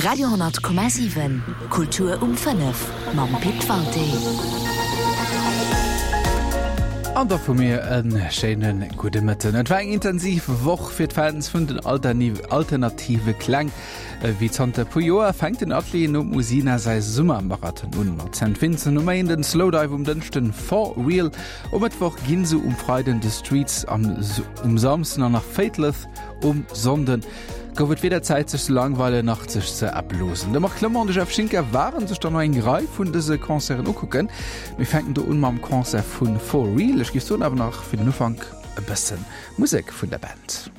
Radio 10,7 Kultur um 5 mam Pit Walté. An da vu mir e schéine gudde Mëtten. Et war eng intensiv Woch fir d'Fans vun den alternative Kläng. Wéi zanter e puer Joer fänkt den Atelier nom Usina säi Summermarathon un. Mat Saint Vincent um Méinden, Slowdive um Dënschden, For Real um Mëttwoch, Ginsu um Freiden, The Streets um Samsden an nach Faithless um Sonnden. Gouf et weder Zäit sech ze langweilen nach sech ze erblosen. De Marc Clement an de Jeff Schinker waren sech dann no eng Rei vun dëse Concerten ukucken. Mir fänken do un mam Concert vu For Real. Ech géif soen awer nach fir den Ufank e bësse Musek vun der Band.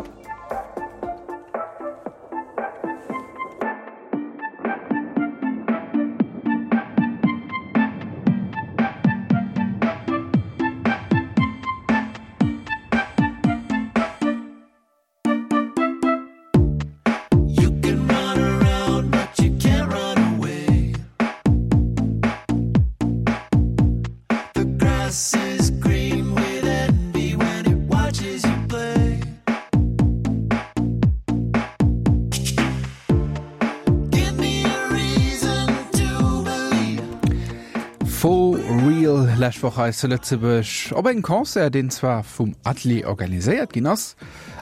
For Real lescht Woch hei zu Lëtzebuerg op engem Concert, deen zwar vum Atelier organiséiert ginn ass,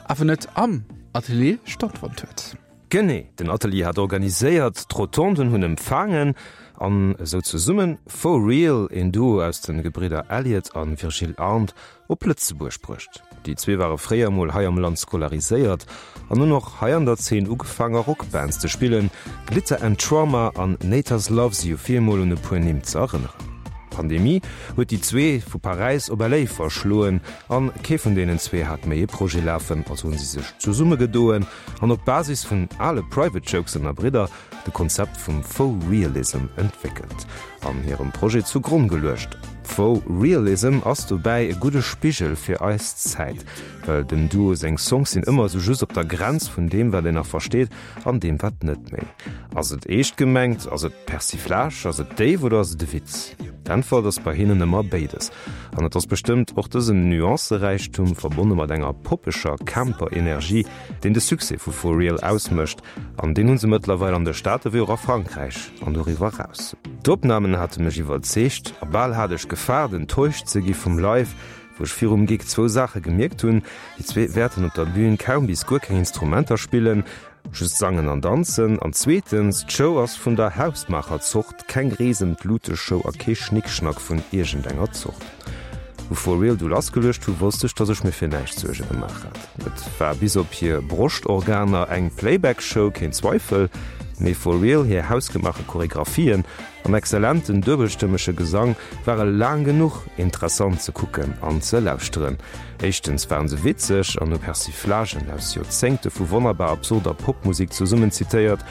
awer net am Atelier stattfonnt huet. Genee, den Atelier hat organiséiert, d'Rotonden hunn empfaangen an esou zesummen For Real, een Duo aus de Gebridder Elliot a Virgil Arndt, op Lëtzebuerg bruecht. Déi zwee ware fréier mol hei am Land scolariséiert an hunn och hei an der Zeen ugefaang a Rockbands ze spillen, Glitter and Trauma an Naters Loves You fir emol un e puer Nimm ze erënneren. D'Pandemie huet déi zwee vu Paräis op LA verschloen an kee vun deenen zwee hat méi e Projet lafen, also hunn si sech zesummegedoen an op Basis vun ale Private Jokes ënner Bridder de Konzept vum Faux Realism entwéckelt an hirem Projet zu Gronn geluecht. Faux Realism ass dobäi e gudde Spigel fir eis Zäit, well dem Duo seng Songs sinn ëmmer esou just op der Grenz vun deem wat een nach versteet an deem wat net méi. Ass et eescht gemengt, ass et Persiflage, ass et déif oder ass et e Witz? D'Äntwert ass bei hinnen ëmmer béides. An et ass bestëmmt och dësen Nuanceräichtum, verbonne mat enger poppeger Camper-Energie, deen de Succès vu For Real ausmécht. An deen hu se mëttlerweil an de Staate wéi och a Frankräich an doriwwer eraus. D'Opnamen hate mech iwwerzeegt a bal hat ech gefaart enttäuscht ze gi vum Live, wou ech virum Gig zwou Saache gemierkt hunn, Déi zwee wäerten op der Bühn kaum bis guer keng Instrumenter spillen, just sangen an danzen, an zweetens, d'Show ass vun der Hausmaacher Zort, keng Reesem-d'Lute-Show a kee Schnickschnack vun iergendenger Zort. Wou For Real du lassgeluecht hu wosst ech, dass ech mir fir näischt Suerge gemaach hat. Et war bis op hir Broschtorganer eng Playback-Show, keen Zweifel, mee For Real hir hausgemaache Choregraphien an exzellenten duebelstëmmege Gesang ware laang genuch interessant ze kucken an ze lauschteren. Éischtens waren se witzeg an hu Persiflagen aus Joerzéngte vu wonnerbar absurder Popmusek zesummen zitéiert.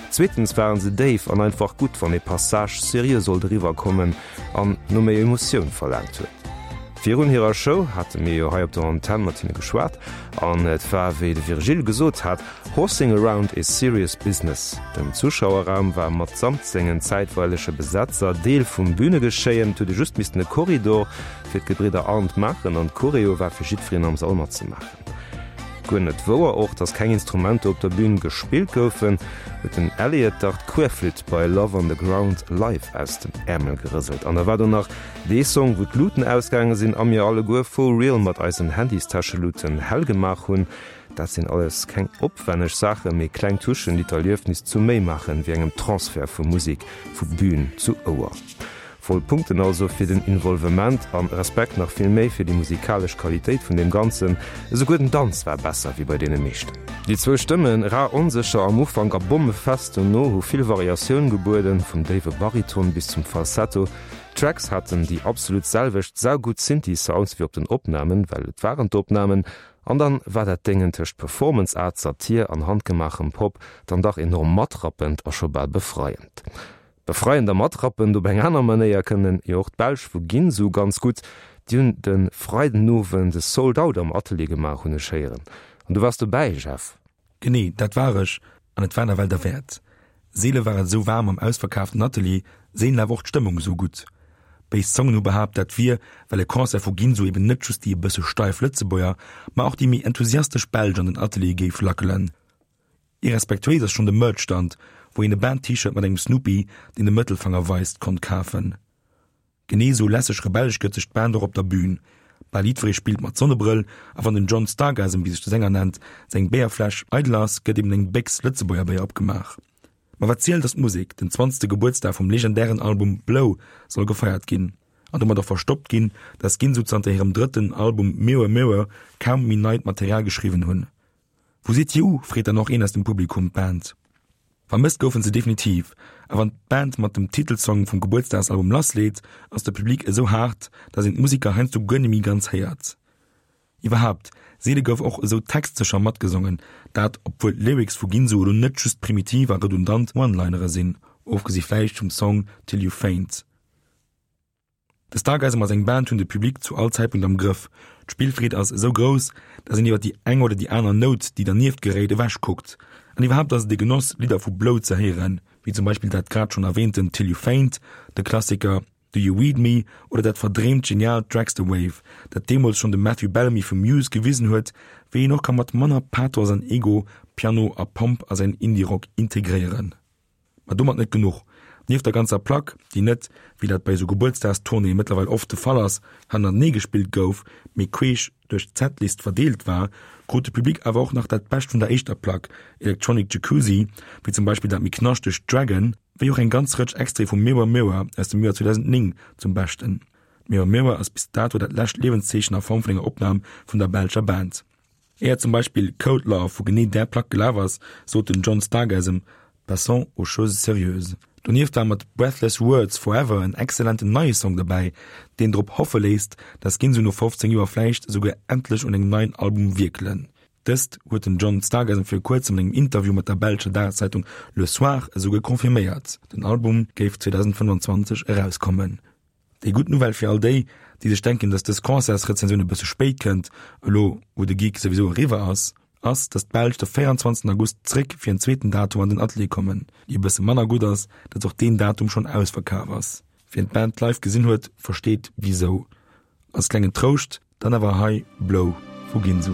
Zweetens waren se déif an einfach gutt, wann ee Passage seriö sollt eriwwerkommen an no méi Emotioun verlaangt huet. Virun hirer Show hate mir jo hei op der Antenn mat hinne geschwat an et war wéi de Virgile gesot hat, Horsing around is serious business. Den Zuschauerraum war matsamt sengen zäitweilege Besetzer Deel vum Bünegeschéien, et huet ee just missten e Korridor fir d'Gebridder Arndt maachen an d'Choreo war fir jiddwereen am Sall matzemaachen. Guer net wouer och, dass keng Instrumenter op der Bühn gespillt goufen, huet den Elliot dach d'Querflütt bei Love on the Ground live aus dem Äermel gerëselt. An da war do nach dee Song, wou d'Luten ausgaange sinn a mir alleguer for real mat eisen Handystäscheluten hell gemaach hunn. Dat sinn alles keng opwänneg Saachen, mee kleng Touchen, déi d'Erliefnis zu méi maachen, wéi engem Transfert vu Musek vu Bühn zu Ouer. Voll Punkten also fir den Involvement an Respekt nach vill méi fir déi musikalesch Qualitéit vun deem Ganzen. Esouguer den Danz war besser wéi bei deene meeschten. Déi zwou Stëmmen, rar onsécher am Ufank a bommefest dono, hu vill Variatioun gebueden, vum déiwe Bariton bis zum Falsetto. D'Tracks haten déi absolut selwecht saugutt Synthi-Sounds wéi op den Opnamen, well et waren d'Opnamen. An dann war dat Déngen tëscht Performance Art, Satir an handgemaachem Pop dann dach enorm matrappend a scho bal befreiend. Befreiend a matrappend op eng aner Manéier kënnen jo och d'Belsch vu Ginsu ganz gutt. Déi hunn de Freidenowend e Sold Out am Atelier gemaach, hunn ech héieren. An du waars dobäi, Jeff? Genee, dat war ech, an et war nawell derwäert. Seele war et esou waarm am ausverkaaften Atelier, seelen awer och d'Stëmmung esou gutt. Béis Zongen hu behaapt, dat wier, well e Concert vu Ginsu eben net just déi e bësse steif Lëtzebuerger, ma och déi méi enthusiastesch Belsch an den Atelier géif lackelen. Irrespektuéis ass schonn de Merch-Stand, wou. wou een e Band-T-Shirt mat engem Snoopy, deen de Mëttelfanger weist, konnt kafen. Genee esou lässeg rebellesch gëtt sech d'Band och op der Bühn. Bal jiddweree spillt mat Sonnebrëll a wann den John Stargasm, wéi sech de Sänger nennt, seng Béierfläsch eidel ass, gëtt eben eng Béchs Lëtzebuerger Béier opgemaach. Ma wat zielt ass d'Musek, den zwanzegste Gebuertsdag vum legendären Album Blow soll gefeiert ginn. An domat och verstoppt ginn, dass Ginsu zanter hirem drëtten Album Mirror Mirror kaum méi neit Material geschriwwen hunn. Wou sidd dir u? freet dann och een aus dem Publikum d'Band. Vermësst goufen se definitiv, a wann d'Band mat dem Titelsong vum Gebuertsdagsalbum lassleet, ass de Public esou haart, dass een d'Musiker heiansdo guer nemmi ganz héiert. Iwwerhaapt, seele gouf och esou textsécher matgesongen, dat obwuel d'Lyrics vu Ginsu elo net just primitiv a redundant One-Linere sinn, ofgesi vläicht vum Song Till You Faint. De Stargazem a seng Band hunn de Public zu all Zäitpunkt am Grëff. D'Spillfreed ass esou grouss, dass een iwwer déi eng oder déi aner Nout, déi dernieft geréit, ewech kuckt. An iwwerhaapt ass et e Genoss, Lidder vu Blow ze héieren, wéi zum Beispill dat grad schonn erwähnten Till You Faint, de Klassiker Do You Weed Me oder dat verdreemt geniaalt Dragster Wave, dat deemools schonn de Matthew Bellamy vu Muse gewisen huet, wéi een och ka mat manner Pathos an Ego Piano a Pomp a säin Indie-Rock integréieren. Ma domat net genuch, Nieft der ganzer Plack, déi net, wéi dat bei esou Gebuertsdagstournéeë mëttlerweil oft de Fall ass, hannertenee gespillt gouf, mee queesch duerch d'Setlist verdeelt war, krut de Public awer och nach dat Bescht vun der éischter Plack, Electronic Jacuzzi, wéi zum Beispill dat méi knaschtegt Dragon, wéi och eng ganz Rëtsch Extraite vu Mirror Mirror aus dem Joer 2009 zum Beschten. Mirror Mirror ass bis dato dat lescht Liewenszeechen a Form vun enger Opnam vun der belscher Band. Éier zum Beispill Cold Love vu genee där Plack gelaf ass, sot den John Stargasm, Passons aux choses sérieuses. Donieft war mat Breathless Words Forever en exzellenten neie Song dobäi, deen drop hoffe léisst, dass Ginsu no 15 Joer vläicht esouguer endlech un engem neien Album wierkelen. Dëst huet den John Stargasm vir kuerzem an engem Interview mat der belscher Dageszeitung Le Soir esouguer confirméiert, den Album géif 2025 erauskommen. Déi gutt Nouvelle fir all déi, déi sech denken, dass dës Concertsrezensioun e bësse spéit kënnt, elo wou de Gig souwisou eriwwer ass, ass, dass d'Belsch de 24 August zréck fir en zweeten Datum an den Atelier kommen. Déi e bësse manner gutt ass, dass och deen Datum schonn ausverkaf ass. Wien d'Band live gesinn huet, versteet wisou. Als klengen Trouscht Dann awer hei Blow vu Ginsu.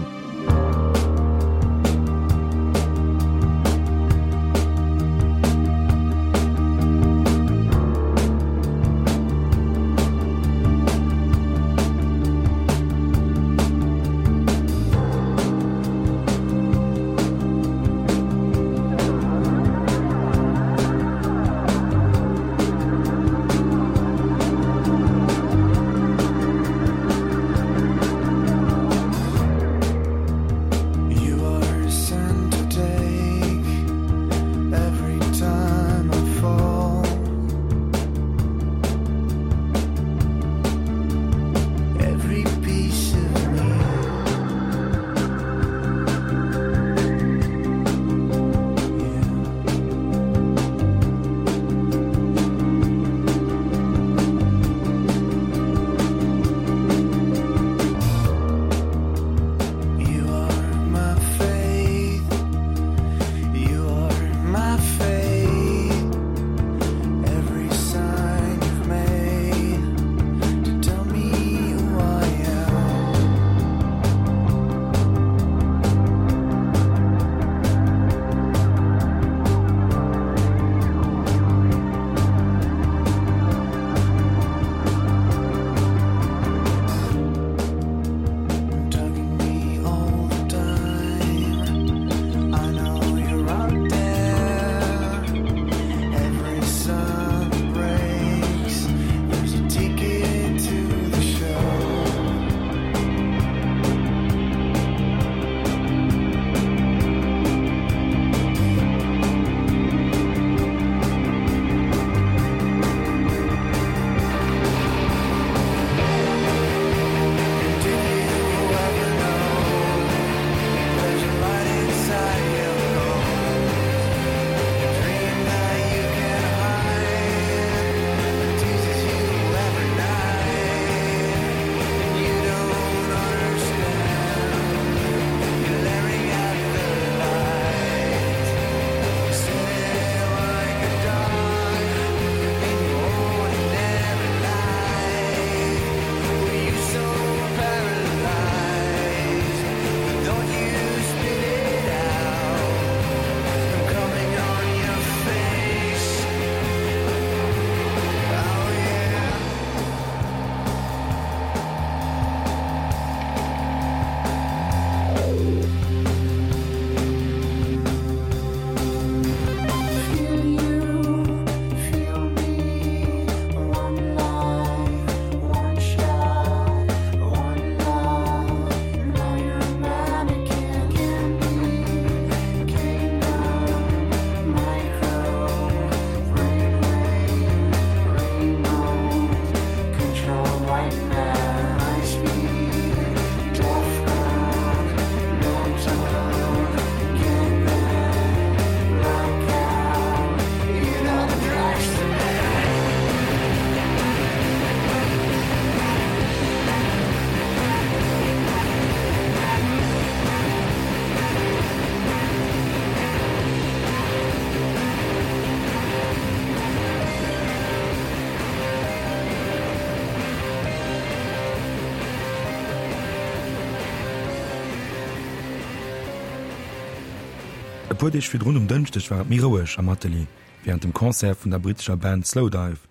puer Deeg virdrun um Dënschdeg war et méi roueg am Atelier wärend dem Concert vun der brittescher Band Slowdive,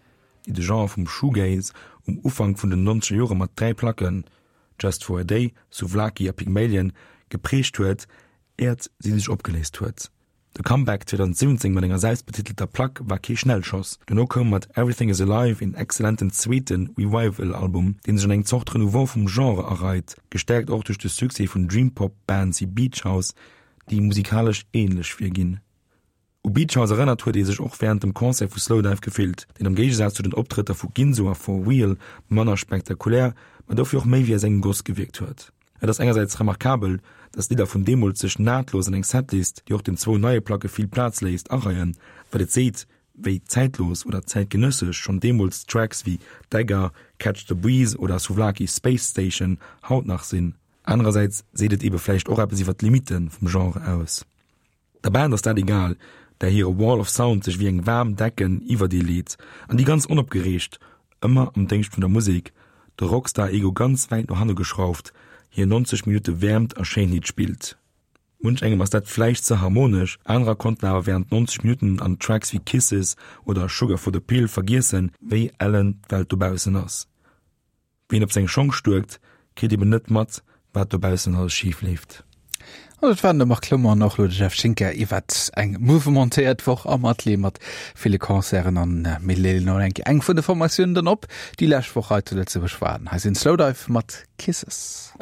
déi de Genre vum Shoegaze um Ufank vun den nonzeger Jore mat 3 Placken, Just for a Day, Souvlaki a Pygmalion, geprägt huet, äert si sech opgeléist huet. De Comeback 2017 mat enger selbstbetitelter Plack war kee Schnellschoss. Dono koum mat Everything Is Alive een exzellenten zweete Revival-Album, dee sech an eng Zort Renouveau vum Genre areit, gestäerkt och duerch de Succès vun Dream-Pop-Bands wéi Beach House, déi musikalesch änlech virginn. U Beach House erënnert huet ee sech och wärend dem Concert vu Slowdive gefillt, deen am Géigesaz zu den Optrëtter vu Ginzo a For Real manner spektakulär, ma dofir och méi wéi aus engem Goss gewierkt huet. Et ass engersäits remarkabel, dass d'Lidder vun deemools sech nahtlos an eng Setlist, déi och den zwou neie Placke vill Plaz léisst, areien, wat et seet, wéi zäitlos oder zäitgenëssesch schonn deemools Tracks wéi Dagger, Catch the Breeze oder Souvlaki Space Station haut nach sinn. Anerersäits seet et ebe vläicht och eppes iwwer d'Limitte vum Genre aus. Der Band ass dat egal, där hire Wall of Sound sech wéi eng waarm Decken iwwert ee leet an déi ganz onopgereegt, ëmmer am Déngscht vun der Musek, de Rockstar-Ego ganz wäit no hanne geschrauft, hir 90 Minutte Wäermt a Schéinheet spillt. Munch engem ass dat vläicht ze harmonesch, anerer konnten awer wärend 90 Minutten an Tracks wéi Kisses oder Sugar for the Pill vergiessen, wéi ellen d'Welt dobaussen ass. Wien op seng Schong stuerkt, kritt eben net mat, wat dobaussen alles schif leeft. An dat waren de Marc Clement an och elo de Jeff Schinker iwwert eng mouvementéiert Woch am Atelier mat ville Concerten. An mir leeën elo eng eng vun de Formatiounen dann op, déi lescht Woch hei zu Lëtzebuerg waren. Hei sinn Slowdive mat Kisses.